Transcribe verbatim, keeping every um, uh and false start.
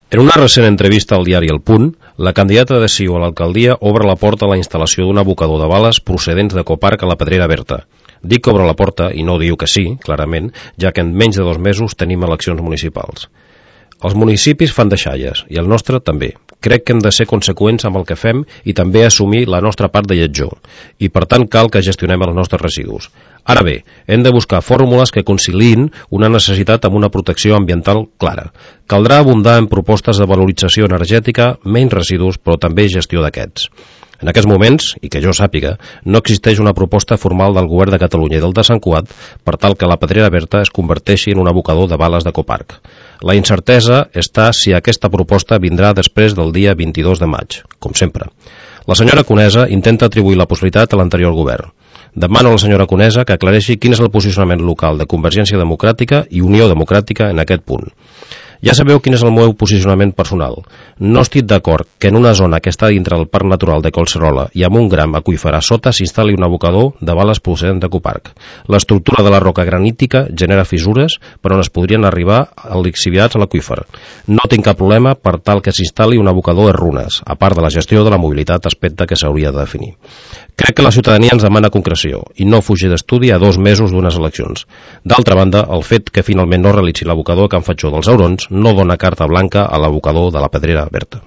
En una recent entrevista al diari El Punt, la candidata de C I U a l'alcaldia obre la porta a la instal·lació d'un abocador de bales procedents d'Ecoparc a la Pedrera Berta. Dic que obre la porta i no diu que sí, clarament, ja que en menys de dos mesos tenim eleccions municipals. Els municipis fan deixalles, i el nostre també. Crec que hem de ser conseqüents amb el que fem i també assumir la nostra part de lletjor, i per tant cal que gestionem els nostres residus. Ara bé, hem de buscar fórmules que conciliïn una necessitat amb una protecció ambiental clara. Caldrà abundar en propostes de valorització energètica, menys residus, però també gestió d'aquests. En aquests moments, i que jo sàpiga, no existeix una proposta formal del Govern de Catalunya i del de Sant Cugat per tal que la Pedrera Berta es converteixi en un abocador de bales d'Ecoparc. La incertesa està si aquesta proposta vindrà després del dia vint-i-dos de maig, com sempre. La senyora Conesa intenta atribuir la possibilitat a l'anterior govern. Demano a la senyora Conesa que aclareixi quin és el posicionament local de Convergència Democràtica i Unió Democràtica en aquest punt. Ja sabeu quin és el meu posicionament personal. No estic d'acord que en una zona que està dintre del Parc Natural de Collserola i amb un gram aqüífer a sota s'instal·li un abocador de bales procedent d'Ecoparc. L'estructura de la roca granítica genera fissures per on es podrien arribar lixiviats a l'aqüífer. No tinc cap problema per tal que s'instal·li un abocador de runes, a part de la gestió de la mobilitat, aspecte que s'hauria de definir. Crec que la ciutadania ens demana concreció i no fugir d'estudi a dos mesos d'unes eleccions. D'altra banda, el fet que finalment no realitzi l'abocador a Can Fatjó dels Aurons no dona carta blanca a l'abocador de la Pedrera Berta.